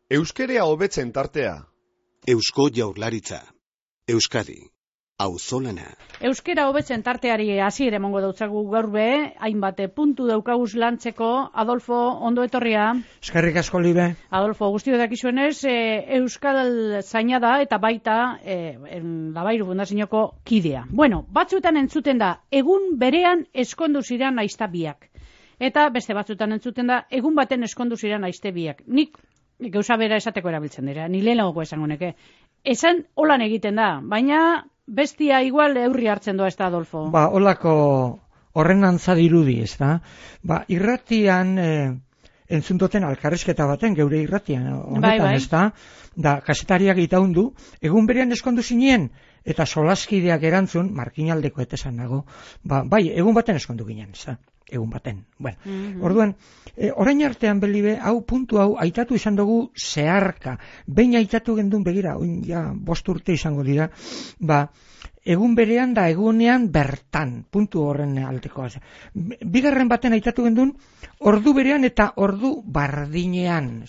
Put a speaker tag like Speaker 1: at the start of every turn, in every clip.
Speaker 1: Euskerea hobetzen tartea.
Speaker 2: Eusko Jaurlaritza. Euskadi. Auzolana.
Speaker 3: Euskera hobetzen tarteari hasiera emango dautzagu gaur be, hainbat puntu daukaguz lantzeko. Adolfo, ondo etorria.
Speaker 4: Eskerrik asko, Libe.
Speaker 3: Adolfo, guztio dakizuenez, Euskal zaina da eta baita Labairu Fundazioko kidea. Bueno, batzuetan entzuten da, egun berean eskondu ziren aizta biak. Eta beste batzuetan entzuten da, egun baten eskondu ziren aizte biak. Nik gauza bera esateko erabiltzen dira, ni lehenagoko esango neke. Esan holan egiten da, baina bestia igual eurri hartzen doa ez da, Adolfo.
Speaker 4: Holako horren antza dirudi, ez da? Irratian entzuntoten alkarrizketa baten, geure irratian honetan, ez da? Da, kasetariak itaundu, egun berean eskondu zinien, eta solaskideak erantzun, markinaldeko etesan nago, bai, egun baten eskondu ginen, ez da? Egun baten. Bueno, orduan, orain artean Belibe, puntu hau, aitatu izan dugu zeharka. Behin aitatu gendun begira, ja, 5 urte izango dira, egun berean da egunean bertan, puntu horren aldekoa. Bigarren baten aitatu gendun, ordu berean eta ordu bardinean.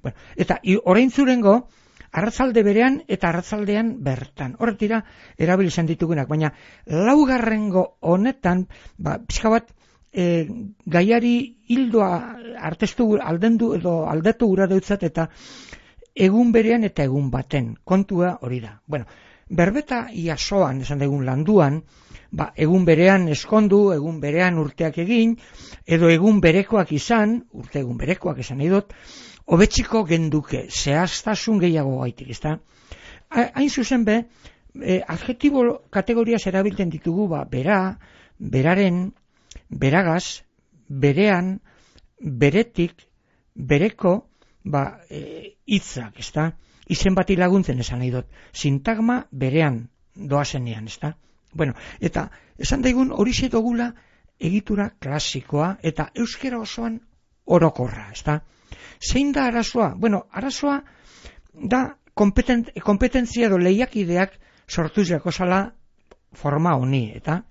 Speaker 4: Bueno, eta orain zurengo, arratzalde berean eta arratzaldean bertan. Horret dira, erabili izan ditugunak, baina laugarrengo honetan, pixka bat, gaiari hildoa artestu aldendu edo aldetu gura deutzat eta egun berean eta egun baten. Kontua hori da. Bueno, berbeta iasoan, esan dugun landuan, egun berean eskondu, egun berean urteak egin, edo egun berekoak izan, urte egun berekoak esan nahi dut, hobetziko genduke, zehaztasun gehiago gaitik, ezta? Hain zuzen be, adjetibo kategoriaz erabiltzen ditugu, bera, beraren, beragaz, berean, beretik, bereko, hitzak, ezta? Izen bati laguntzen esan nahi dut. Sintagma berean doazenean, ezta? Bueno, eta esan daigun horixe dugula egitura klasikoa eta euskera osoan orokorra, ezta? Zein da arazoa? Bueno, arazoa da kompetentzia edo lehiakideak sortuz jakozala forma honi, eta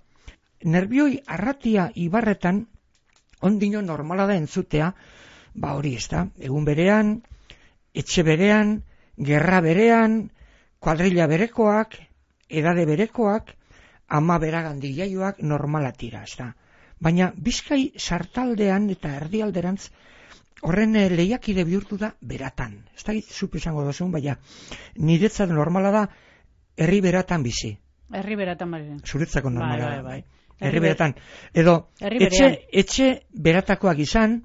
Speaker 4: nerbioi arratia ibarretan ondino normala da entzutea, hori ez da, egun berean, etxe berean, gerra berean, kuadrilla berekoak, edade berekoak, ama beragandi jaioak normala tira, ez da. Baina Bizkai sartaldean eta erdialderantz horren lehiakide bihurtu da beratan. Ez da zupe izango dozun, baina niretzat normala da herri beratan bizi.
Speaker 3: Herri beratan bari.
Speaker 4: Zuretzako normala da. Bai. Herri beratan. Edo etxe beratakoak izan,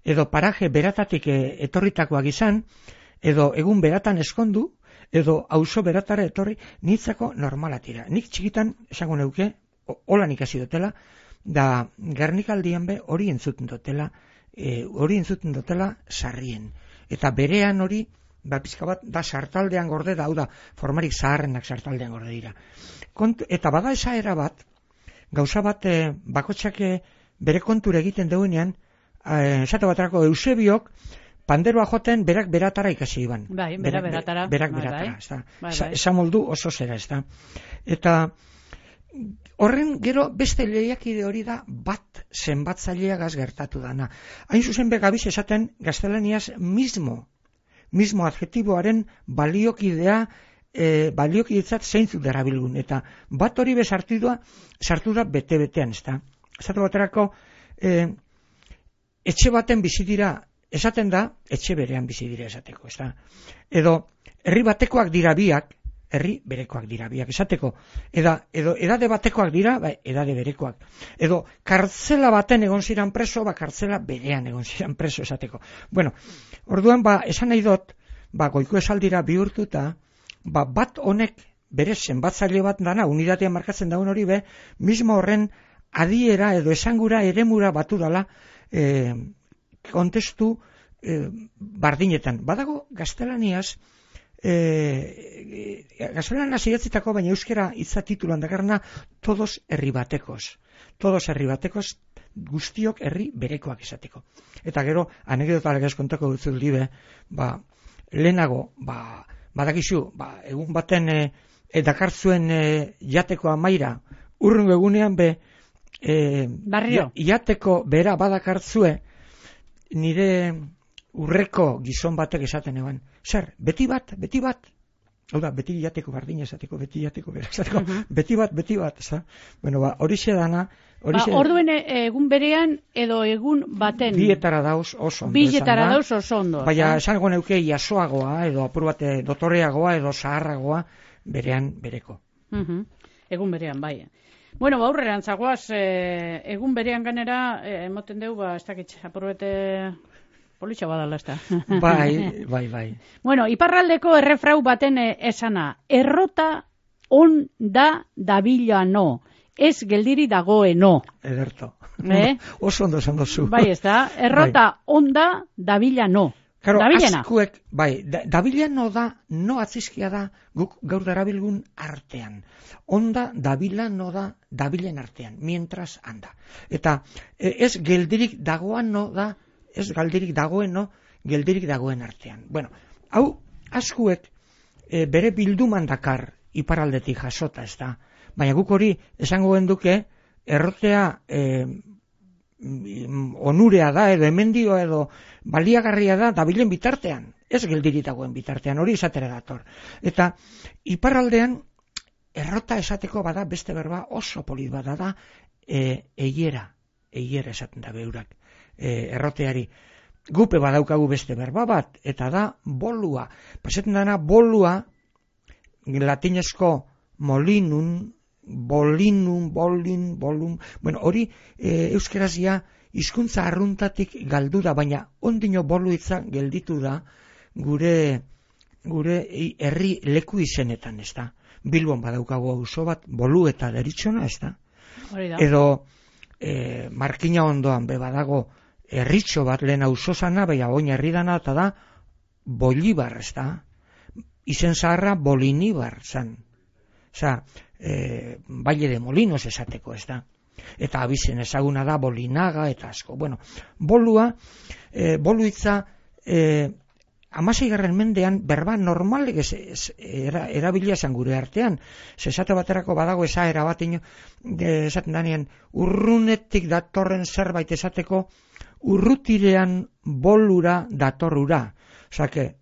Speaker 4: edo paraje beratatik etorritakoak izan, edo egun beratan eskondu, edo auzo beratara etorri, nitzako normala tira. Nik txikitan, esango neuke, holan ikasi dutela, da Gernikaldian be hori entzuten dutela, sarrien. Eta berean hori, pizka bat, da sartaldean gorde da, hau da, formarik zaharrenak sartaldean gorde dira. Eta bada esaera bat, gauza bat, bakotxak bere kontura egiten duenean, esate baterako Eusebiok, panderoa joten berak beratara ikasi iban.
Speaker 3: Bai, beratara.
Speaker 4: Berak beratara, ez da. Esamoldu oso zera, ez da. Eta horren gero beste lehiakide hori da bat zenbatzaileagaz gertatu dana. Hain zuzen begabiz esaten gaztelaniaz mismo adjetiboaren baliokidea, baliokidetzat zeintzuk darabilgun. Eta bat hori sartu da bete-betean, ez da. Esate baterako, etxe baten bizi dira, esaten da, etxe berean bizi dira esateko, ez da. Edo, herri batekoak dira biak, herri berekoak dira biak esateko. Edo edade batekoak dira, edade berekoak. Edo, kartzela baten egon ziren preso, kartzela berean egon ziren preso esateko. Bueno, orduan, esan nahi dut, goiko esaldira bihurtuta, bat honek bere zenbatzaile bat dana, unidatea markatzen daun hori mismo horren adiera edo esangura eremura batu dala kontestu bardinetan. Badago gaztelaniaz, gaztelaniaz idatzitako, baina euskera hitza titulan dakarna, todos herri batekos. Todos herri batekos, guztiok herri berekoak izateko. Eta gero, anekdota legez kontako dut libe, lehenago, badakizu, egun baten dakartzuen jateko amaira, urrungo egunean
Speaker 3: barrio.
Speaker 4: Jateko bera badakartzue, nire urreko gizon batek esaten eban, zer, beti bat, hau da, beti jateko bardina esateko, beti jateko bera esateko, beti bat, ez da? Bueno, horixe dana,
Speaker 3: orduen egun berean edo egun baten.
Speaker 4: Bietara dauz oso ondo.
Speaker 3: Bietara dauz oso ondo.
Speaker 4: Baina esango neuke jasoagoa, edo apur bat dotoreagoa, edo zaharragoa, berean bereko.
Speaker 3: Egun berean, bai. Bueno, aurreran zagoaz, egun berean ganera, emoten deu, ez dakit, apur bete politxa badala, ez da.
Speaker 4: Bai.
Speaker 3: Bueno, iparraldeko errefrau baten esana, errota on da dabila no. Ez geldiri dagoeno.
Speaker 4: Ederto. Oso ondo esan dozu.
Speaker 3: Bai, ez da. Errota onda dabila no.
Speaker 4: Claro,
Speaker 3: dabilena.
Speaker 4: Askuek, bai, dabilano da, no atzizkia da, guk gaur darabilgun artean. Onda dabilano da, dabilen artean, mientras anda. Eta ez geldirik dagoano da, ez galdirik dagoeno, geldirik dagoen artean. Bueno, hau, askuek bere bilduman dakar iparaldetik jasota, ez da. Baina guk hori esango genduke errotea onurea da edo hemendio edo baliagarria da dabilen bitartean, ez geldirik dagoen bitartean, hori izatera dator. Eta iparraldean errota esateko bada beste berba oso polit bada da eiera esaten da beurak erroteari. Gupe badaukagu beste berba bat, eta da bolua. Paseten dana bolua latinezko molinum, bolin, bueno, hori euskerazia hizkuntza arruntatik galdu da, baina ondino boluitza gelditu da gure herri leku izenetan, ez da. Bilbon badaukagu auzo bat, bolu eta deritzona, ez da. Edo Markina ondoan badago herritxo bat lehen auzo zana, baina oin herri dana, eta da Bolibar, ez da. Izen zaharra Bolinibar zan. Osa, Valle de Molinos esateko, ez da. Eta abizen ezaguna da Bolinaga eta asko. Bueno, boluitza 16. mendean berba normalek erabilia esan gure artean. Esate baterako badago esaera bat esaten danean urrunetik datorren zerbait esateko urrutirean bolura datorrura. Osake,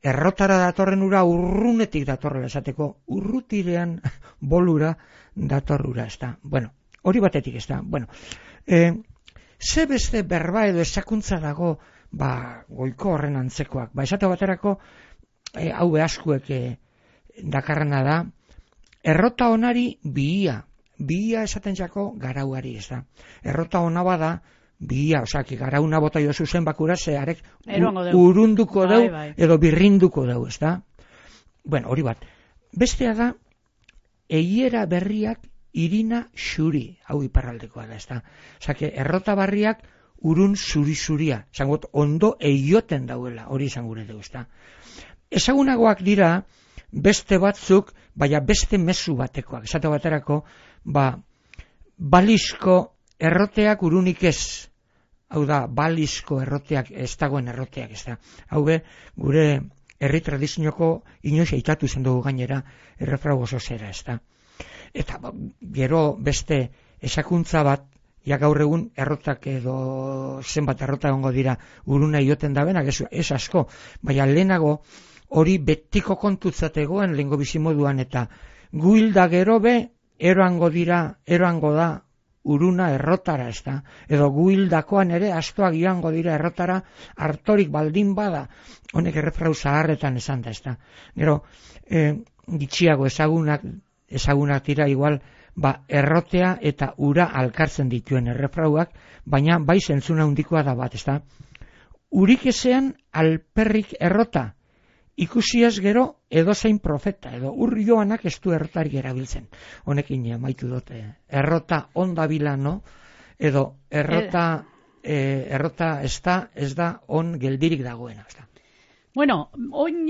Speaker 4: errotara datorren ura urrunetik datorrela esateko, urrutirean bolura datorrura, ez da. Bueno, hori batetik, ez da. Bueno, ze beste berba edo esakuntza dago, goiko horren antzekoak. Esate baterako, hau behaskuek dakarrana da, errota onari bihia esaten jako garauari, ez da. Errota ona bada, bihia, osaki, garauna bota jo zuzen bakura, zeharek urunduko dau, edo birrinduko dau, ez da? Bueno, hori bat. Bestea da, eiera berriak irina xuri, hau iparraldekoa da, ez da? Osaki, errota barriak urun zuri-zuria, zangot, ondo eioten dauela, hori izan gure dugu, ez da? Ezagunagoak dira, beste batzuk, baina beste mezu batekoak, esate baterako, balizko erroteak urunik ez, hau da, balizko erroteak, ez dagoen erroteak, ez da. Hau gure herri tradizioko inoiz eitatu zen dugu gainera errefrau oso zera, ez da. Eta gero beste esakuntza bat, ja gaur egun errotak edo zenbat errota egongo dira uruna ioten dabenak, ez asko, baina lehenago hori betiko kontutzategoen lehengo bizimoduan, eta guilda gero eroango da uruna errotara, ez da, edo guildakoan ere astoak joango dira errotara, hartorik baldin bada, honek errefrau zaharretan esan da, ez da. Gero, gitxiago ezagunak dira igual, errotea eta ura alkartzen dituen errefrauak, baina bai zentzuna handikoa da bat, ez da. Urik ezean alperrik errota, ikusiaz gero edozein profeta, edo joanak ez du errotarik erabiltzen. Honekin amaitu dute. Errota onda bilano, edo errota ez da on geldirik dagoena.
Speaker 3: Bueno, oin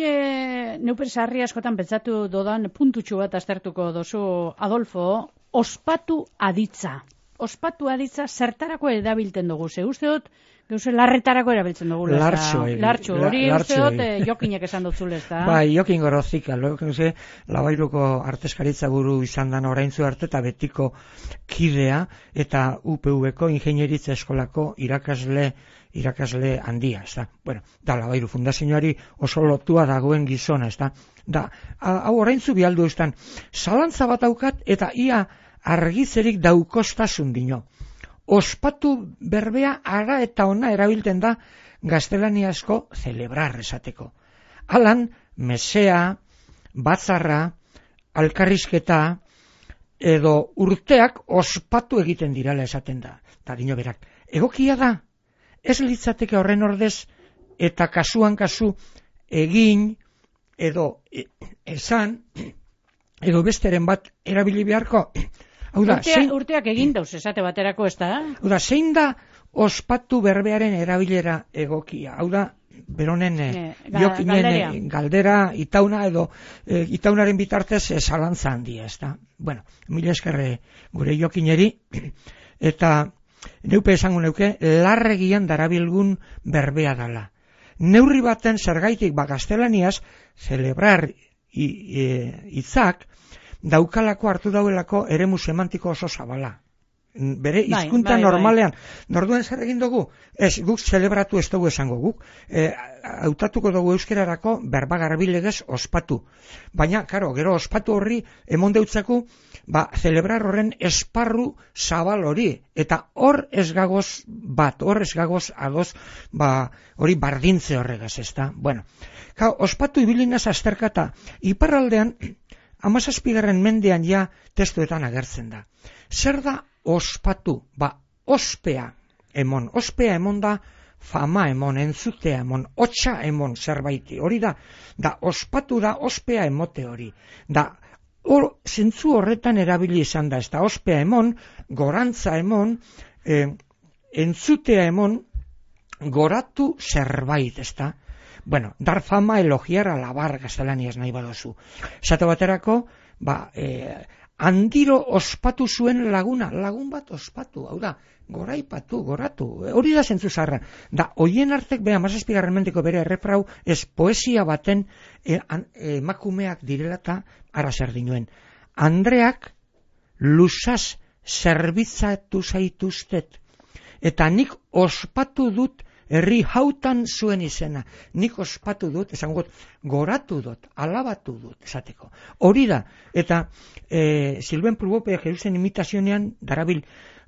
Speaker 3: neupen sarri askotan pentsatu dodan puntutxu bat aztertuko dozu, Adolfo, ospatu aditza. Ospatu aditza zertarako edabilten dugu. Ze uste dut, Gauze larretarako erabiltzen dugu.
Speaker 4: Lartxo,
Speaker 3: hori uste dut Jokinek esan dutzule, ez da?
Speaker 4: Bai, Jokin Gorozika, Labairuko arteskaritza buru izan dan oraintzu arte eta betiko kidea eta UPV-ko ingeniaritza eskolako irakasle handia, ez da? Bueno, da Labairu fundazioari oso lotua dagoen gizona, ez da? Da, hau oraintzu bialdu ez dan, zalantza bat daukat eta ia argizerik daukostasun dino. Ospatu berbea ara eta ona erabilten da gaztelaniazko celebrar esateko. Alan, mesea, batzarra, alkarrizketa edo urteak ospatu egiten dirala esaten da. Eta dino berak, egokia da, ez litzateke horren ordez eta kasuan kasu egin edo esan edo besteren bat erabili beharko.
Speaker 3: Urteak egin dauz, esate baterako ez da?
Speaker 4: Zein da ospatu berbearen erabilera egokia? Hau da, beronen Jokinen galdera itauna edo itaunaren bitartez zalantza handia, ez da? Bueno, mila eskerre gure Jokineri, eta neupe esango neuke, larregian darabilgun berbea dala. Neurri baten zergaitik gaztelaniaz, celebrar hitzak, daukalako hartu dauelako eremu semantiko oso zabala. Bere hizkuntza normalean. Norduen zer egin dugu? Ez, guk zelebratu ez dugu esango guk. Hautatuko dugu euskerarako berbagarbilegez ospatu. Baina, karo, gero ospatu horri emon deutzaku, celebrar horren esparru zabal hori. Eta hor ez gagoz bat, hor ez gagoz adoz, hori bardintze horregaz, ez da? Bueno, ospatu ibilinaz azterkata, iparraldean, 17. mendean ja testuetan agertzen da. Zer da ospatu? Ospea emon. Ospea emon da fama emon, entzutea emon, hotxa emon zerbaiti. Hori da ospatu da ospea emote hori. Zentzu horretan erabili izan da. Ez da ospea emon, gorantza emon, entzutea emon, goratu zerbait, ez da? Bueno, dar fama, elogiar, alabar gaztelaniaz nahi badozu. Esate baterako, handiro ospatu zuen laguna, lagun bat ospatu, hau da, goraipatu, goratu, hori da zentzu zarra. Hoien artek, 17. mendeko bere errefrau, ez poesia baten emakumeak direla eta ara zer dinuen. Andreak lusaz zerbitzatu zaituztet, eta nik ospatu dut herri hautan zuen izena. Nik ospatu dut, esango goratu dut, alabatu dut, esateko. Hori da, eta Silben Pulbope Jerusen imitazionean darabil,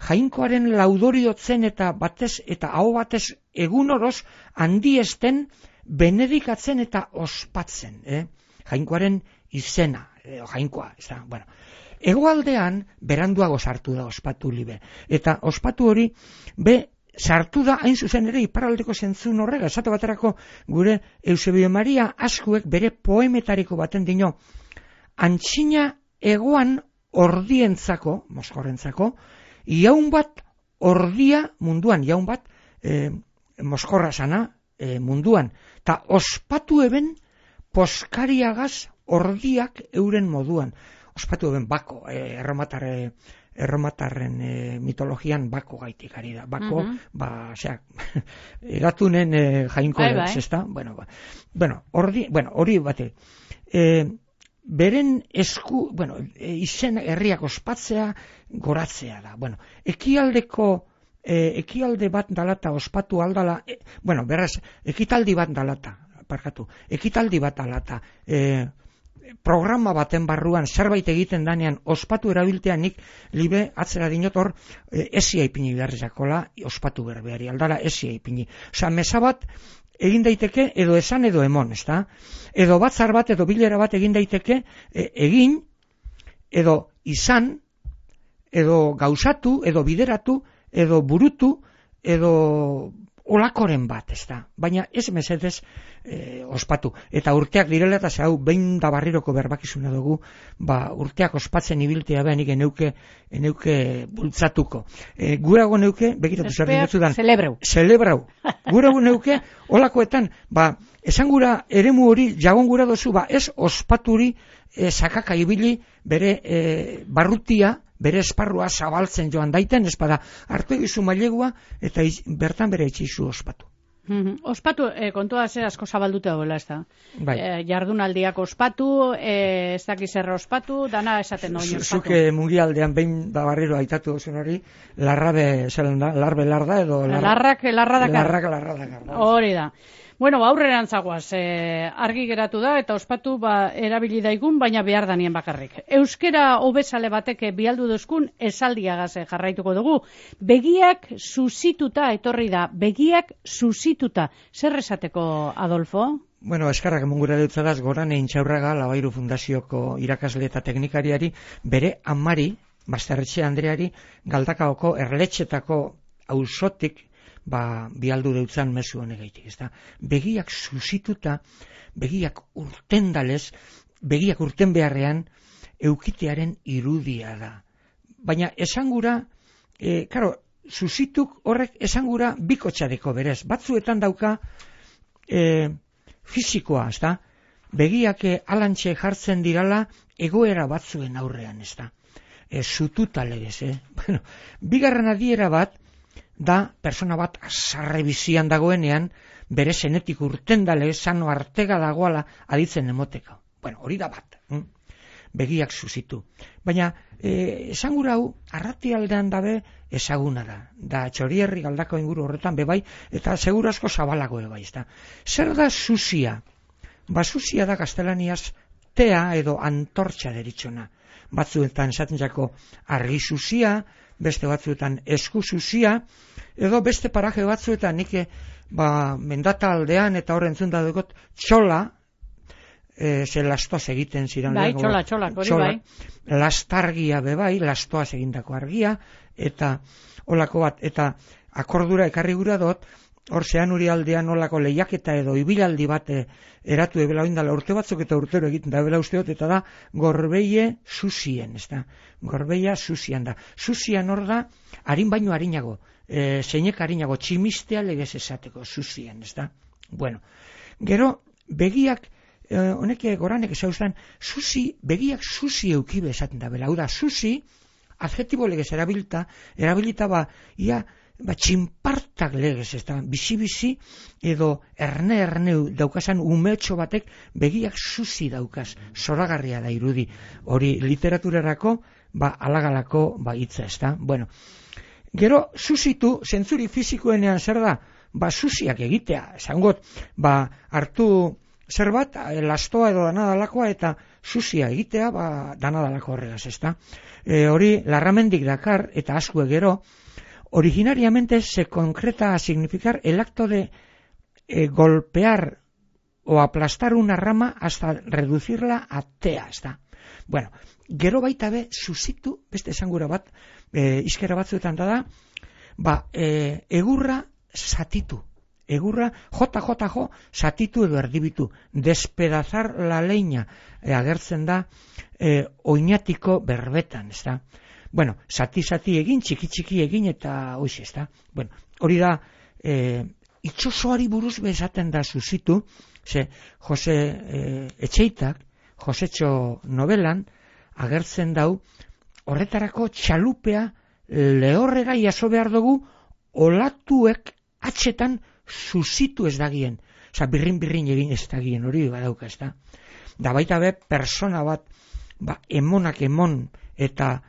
Speaker 4: jainkoaren laudoriotzen eta batez, eta hau batez egun oroz handiesten benedikatzen eta ospatzen. Jainkoaren izena, jainkoa, ez da, bueno. Hegoaldean beranduago sartu da ospatu libe. Eta ospatu hori, sartu da hain zuzen ere iparraldeko zentzun horrega. Esate baterako gure Eusebio Maria Askuek bere poemetariko baten dino, antxina egoan ordientzako, moskorrentzako, jaun bat ordia munduan, jaun bat moskorra sana munduan, eta ospatu eben poskariagaz ordiak euren moduan. Ospatu eben bako, erromatarren mitologian bako gaitik ari da. Bako, egatunen jainko ez da. Bueno, hori bate. Beren esku, izen herriak ospatzea, goratzea da. Bueno, ekialde bat dalata ospatu aldala, beraz, ekitaldi bat dalata, ekitaldi bat dalata, programa baten barruan zerbait egiten danean ospatu erabiltea nik libe atzera dinot hor esia ipini beharrezakola ospatu berbeari, aldala esia ipini. Osa, mesa bat egin daiteke edo esan edo emon, ez da? Edo batzar bat edo bilera bat egin daiteke egin edo izan edo gauzatu edo bideratu edo burutu edo olakoren bat, ez da? Baina ez mesedez ospatu. Eta urteak direla eta zehau behin da barriroko berbakizuna dugu, urteak ospatzen ibiltea behan nik eneuke bultzatuko. Gurago neuke, begitatu zer dinotzudan. Celebrau. Gurago neuke, olakoetan, esan gura eremu hori jagon gura dozu, ez ospaturi sakaka ibili bere barrutia bere esparrua zabaltzen joan daiten, espada hartu egizu mailegua eta bertan bere etxizu ospatu.
Speaker 3: Ospatu, kontua ze asko zabaldute dagoela, ez da?
Speaker 4: Bai.
Speaker 3: Jardunaldiak ospatu, ez dakiz erra ospatu, dana esaten noin ospatu.
Speaker 4: Zuke mundialdean behin da barriro aitatu duzun hori, larrabe zelan da, larbe larda edo...
Speaker 3: Larrak dakar.
Speaker 4: Larrak.
Speaker 3: Hori da. Bueno, aurrerantz zagoaz, argi geratu da eta ospatu erabili daigun, baina behar danien bakarrik. Euskera hobesale bateke bialdu duzkun esaldiagaz jarraituko dugu. Begiak susituta etorri da, begiak susituta. Zer esateko, Adolfo?
Speaker 4: Bueno, eskarrak emungura dutzadaz, Gorane Intxaurraga, Labairu Fundazioko irakasle eta teknikariari, bere amari, Basterretxe Andreari, Galdakaoko erletxetako auzotik, bialdu deutzan mezu honegaitik, ezta? Begiak susituta, begiak urtendalez, begiak urten beharrean, eukitearen irudia da. Baina esangura, susituk horrek esangura bikotxadeko berez. Batzuetan dauka fisikoa, ezta? Begiak alantxe jartzen dirala egoera batzuen aurrean, ezta? Sututa legez, Bueno, bigarren adiera bat, da persona bat sarre bizian dagoenean bere zenetik urtendale sano artega dagoala aditzen emoteka. Bueno, hori da bat. Begiak susitu. Baina esangura hau arratialdean dabe ezaguna da. Da Txorierri Galdako inguru horretan bebai eta seguru asko zabalago bai, ezta. Zer da susia? Susia da gaztelaniaz tea edo antortxa deritzona. Batzuetan esaten jako argi susia, beste batzuetan esku susia, edo beste paraje batzuetan nik mendata aldean eta horren zunda dugot txola, ze lastoaz egiten ziren.
Speaker 3: Bai, txola, hori bai.
Speaker 4: Lastargia bebai, lastoaz egindako argia, eta olako bat, eta akordura ekarri gura dut, hor zean uri aldean olako lehiaketa edo ibilaldi bat eratu ebela oindala urte batzuk eta urtero egiten da ebela usteot, eta da gorbeie susien, ez da? Gorbeia susian da. Susian hor da, harin baino harinago, zeinek harinago, tximistea legez esateko, susien, ez da? Bueno, gero, begiak, honek Goranek esauztan, begiak susi eukibe esaten da bela. Hau da, susi, adjetibo legez erabilita ia, txinpartak legez, ez da, bizi-bizi edo erne daukasan umetxo batek begiak susi daukaz, zoragarria da irudi. Hori literaturarako, alagalako hitza, ez da. Bueno, gero, susitu, zentzuri fizikoenean zer da, susiak egitea, esangot, hartu zer bat, lastoa edo danadalakoa eta susia egitea, danadalako horregaz, ez da. Hori, larramendik dakar eta askue gero, originariamente se concreta a significar el acto de golpear o aplastar una rama hasta reducirla a tea, está. Bueno, gero baita be, susitu, beste esangura bat, izkera batzuetan da, egurra satitu. Egurra, jo, satitu edo erdibitu. Despedazar la leña, agertzen da, oinatiko berbetan, ez da. Bueno, sati egin, txiki egin eta hoiz, ez da. Bueno, hori da, itxosoari buruz bezaten da susitu, ze Jose Etxeitak, Josetxo novelan, agertzen dau, horretarako txalupea lehorrera jaso behar dugu, olatuek atxetan susitu ez dagien. Osa, birrin egin ez dagien, hori badauka, ez da. Da baita be, persona bat, emonak emon eta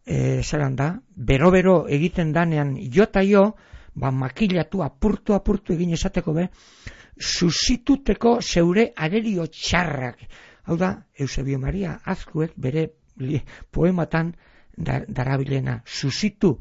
Speaker 4: zelan da, bero egiten danean jota jo, makilatu, apurtu egin esateko be, susituteko zeure arerio txarrak. Hau da, Eusebio Maria Azkuek bere poematan darabilena, susitu,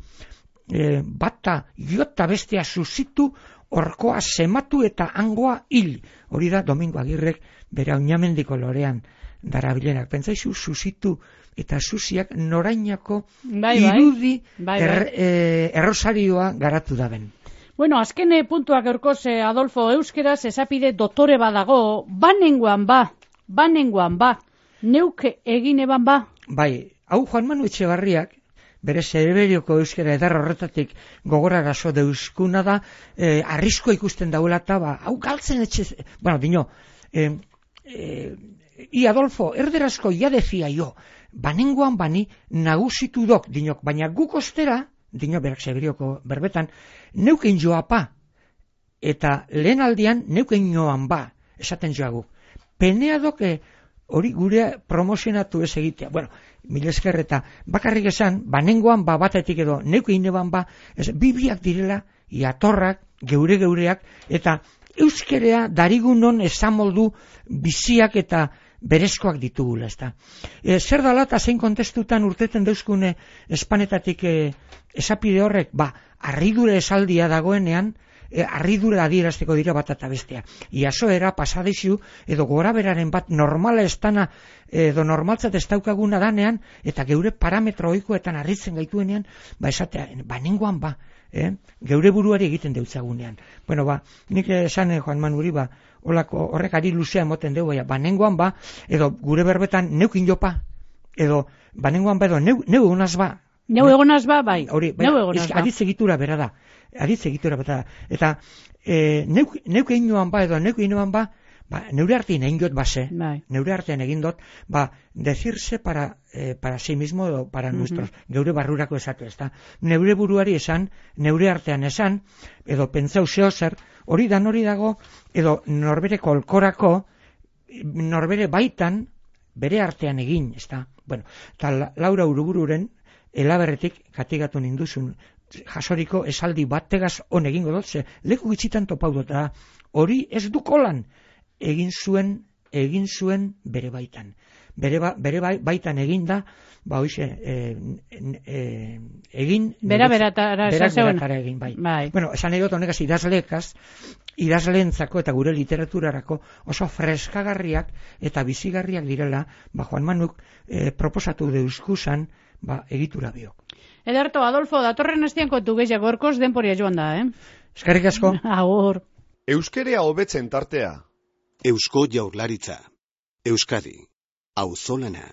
Speaker 4: bata jota bestea susitu, orkoa sematu eta hangoa hil. Hori da, Domingo Agirrek bere Oinamendiko lorean darabilenak. Pentsaizu, susitu eta susiak norainako irudi errosarioa garatu daben.
Speaker 3: Bueno, azken puntuak eurkoz, Adolfo, euskeraz esapide dotore badago, banengoan neuk egin eban
Speaker 4: Bai, hau Juan Manu Etxebarriak, bere Zerberioko euskera edar horretatik gogorarazo deuskuna da, arrisko ikusten daula eta hau galtzen etxe, bueno, dino, I Adolfo, erderazko ja defia jo, banengoan bani nagusitu dok, dinok, baina guk ostera, dinok berak Seberioko berbetan, neuken joapa, eta lehen aldian neuken joan ba, esaten joagu. Penea doke hori gure promozionatu ez egitea. Bueno, mil esker eta bakarrik esan, banengoan ba batetik edo neuken neban ba, bibiak direla, iatorrak, geureak, eta euskerea darigunon esamoldu biziak eta berezkoak ditugula, ezta. Zer dala eta zein kontestutan urteten deuzkune espanetatik esapide horrek, ba, arridure esaldia dagoenean, arridura adierazteko dira bat eta bestea. Iasoera pasadizu edo gora beraren bat normala estana edo normaltzat ez daukaguna danean eta geure parametro ohikoetan harritzen gaituenean, ba esatea, banengoan ba, geure buruari egiten deutzagunean. Bueno, ba, nik esan Juan Manuri, ba, horrek ari luzea emoten dugu, banengoan ba, edo gure berbetan neukin jopa, edo banengoan ba, edo neu egonaz ba.
Speaker 3: Neu egonaz ba, bai.
Speaker 4: Hori, aditzegitura bera da. Eta neuke inoan ba, edo neuke inoan ba, neure artean egin dut base, neure artean egin dut, ba, decirse para sí mismo edo para nuestros, geure barrurako esatu, ez da. Neure buruari esan, neure artean esan, edo pentsau zeo zer, hori dago, edo norbere kolkorako, norbere baitan, bere artean egin, ez da. Bueno, eta Laura Urubururen, elaberretik katigatu ninduzun, jasoriko esaldi bategaz on egingo dut, ze leku gitzitan topau dut, hori ez du kolan egin zuen bere baitan. Bere baitan egin da, ba hoize, egin...
Speaker 3: Beratara
Speaker 4: egin, bai. Bueno, esan egot honegaz idazleentzako eta gure literaturarako oso freskagarriak eta bizigarriak direla, ba Juan Manuk proposatu deuskusan, ba egitura biok.
Speaker 3: Ederto, Adolfo, datorren astean kontu gehiago gorkoz denporia joan da,
Speaker 4: Eskerrik asko.
Speaker 3: Agur.
Speaker 1: Euskerea hobetzen tartea.
Speaker 2: Eusko Jaurlaritza. Euskadi. Auzolana.